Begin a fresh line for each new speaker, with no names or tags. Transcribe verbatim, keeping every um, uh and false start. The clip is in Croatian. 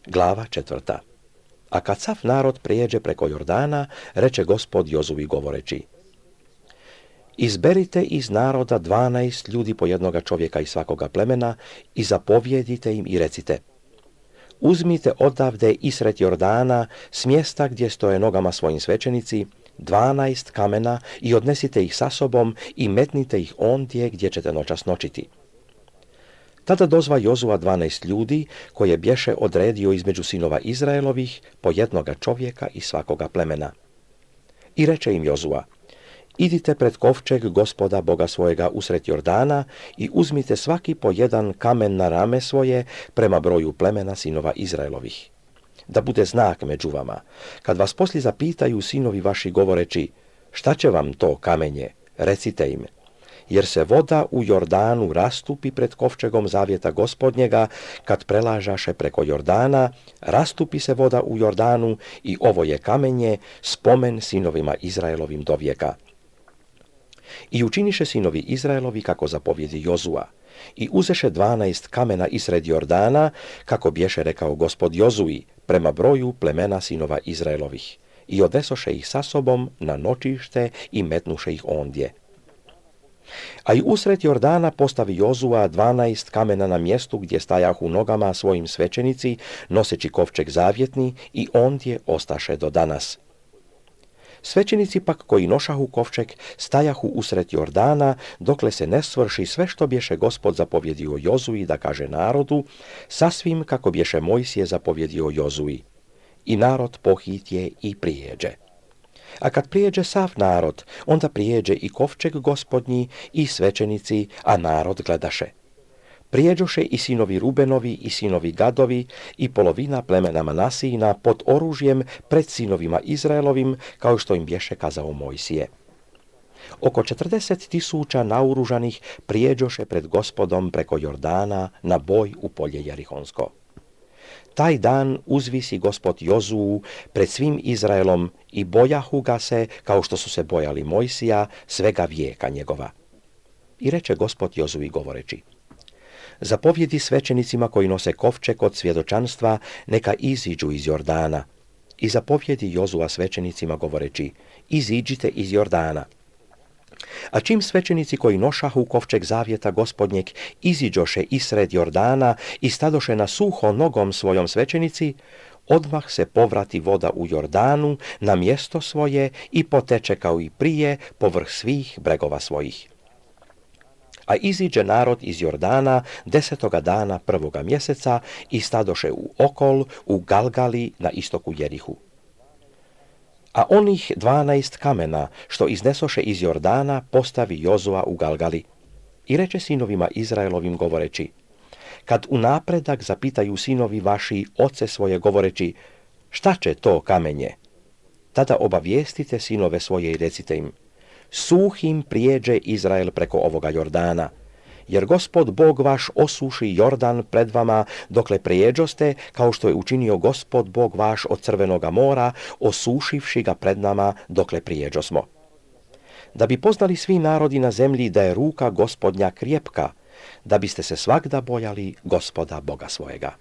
Glava četvrta. A kad sav narod prijeđe preko Jordana, reče Gospod Jozuvi govoreći: Izberite iz naroda dvanaest ljudi po jednoga čovjeka iz svakoga plemena i zapovjedite im i recite: Uzmite odavde isred Jordana, s mjesta gdje stoje nogama svojim svećenici, dvanaest kamena i odnesite ih sa sobom i metnite ih ondje gdje ćete noćas noćiti. Tada dozva Jozua dvanaest ljudi, koje bješe odredio između sinova Izraelovih po jednoga čovjeka iz svakoga plemena. I reče im Jozua: Idite pred kovčeg Gospoda Boga svojega usred Jordana i uzmite svaki po jedan kamen na rame svoje prema broju plemena sinova Izraelovih. Da bude znak među vama, kad vas poslije zapitaju sinovi vaši govoreći: Šta će vam to kamenje? Recite im: Jer se voda u Jordanu rastupi pred kovčegom zavjeta Gospodnjega, kad prelažaše preko Jordana, rastupi se voda u Jordanu i ovo je kamenje, spomen sinovima Izraelovim do vijeka. I učiniše sinovi Izraelovi kako zapovjedi Jozua, i uzeše dvanaest kamena isred Jordana, kako bješe rekao Gospod Jozui, prema broju plemena sinova Izraelovih, i odesoše ih sa sobom na noćište i metnuše ih ondje. A i usred Jordana postavi Jozua dvanaest kamena na mjestu gdje stajahu nogama svojim svećenici, noseći kovčeg zavjetni, i ondje ostaše do danas. Svećenici pak koji nošahu kovčeg stajahu usred Jordana, dokle se ne svrši sve što bješe Gospod zapovjedio Jozui da kaže narodu, sasvim kako bješe Mojsije zapovjedio Jozui. I narod pohitje i prijeđe. A kad prijeđe sav narod, onda prijeđe i kovčeg Gospodnji i svećenici, a narod gledaše. Prijeđoše i sinovi Rubenovi i sinovi Gadovi i polovina plemena Manasijina pod oružjem pred sinovima Izraelovim, kao što im bješe kazao Mojsije. Oko četrdeset tisuća naoružanih prijeđoše pred Gospodom preko Jordana na boj u polje Jerihonsko. Taj dan uzvisi Gospod Jozuu pred svim Izraelom i bojahu ga se, kao što su se bojali Mojsija, svega vijeka njegova. I reče Gospod Jozui govoreći: Zapovjedi svećenicima koji nose kovčeg od svjedočanstva, neka iziđu iz Jordana. I zapovjedi Jozua svećenicima govoreći: Iziđite iz Jordana. A čim svećenici koji nošahu kovčeg zavjeta Gospodnjeg iziđoše isred Jordana i stadoše na suho nogom svojom svećenici, odmah se povrati voda u Jordanu na mjesto svoje i poteče kao i prije povrh svih bregova svojih. A iziđe narod iz Jordana desetoga dana prvoga mjeseca i stadoše u Okol, u Galgali na istoku Jerihu. A onih dvanaest kamena, što iznesoše iz Jordana, postavi Jozua u Galgali. I reče sinovima Izraelovim govoreći: Kad u napredak zapitaju sinovi vaši oce svoje govoreći: Šta će to kamenje? Tada obavijestite sinove svoje i recite im: Suhim prijeđe Izrael preko ovoga Jordana, jer Gospod Bog vaš osuši Jordan pred vama dokle prijeđoste, kao što je učinio Gospod Bog vaš od Crvenoga mora, osušivši ga pred nama dokle prijeđosmo. Da bi poznali svi narodi na zemlji da je ruka Gospodnja krjepka, da biste se svagda bojali Gospoda Boga svojega.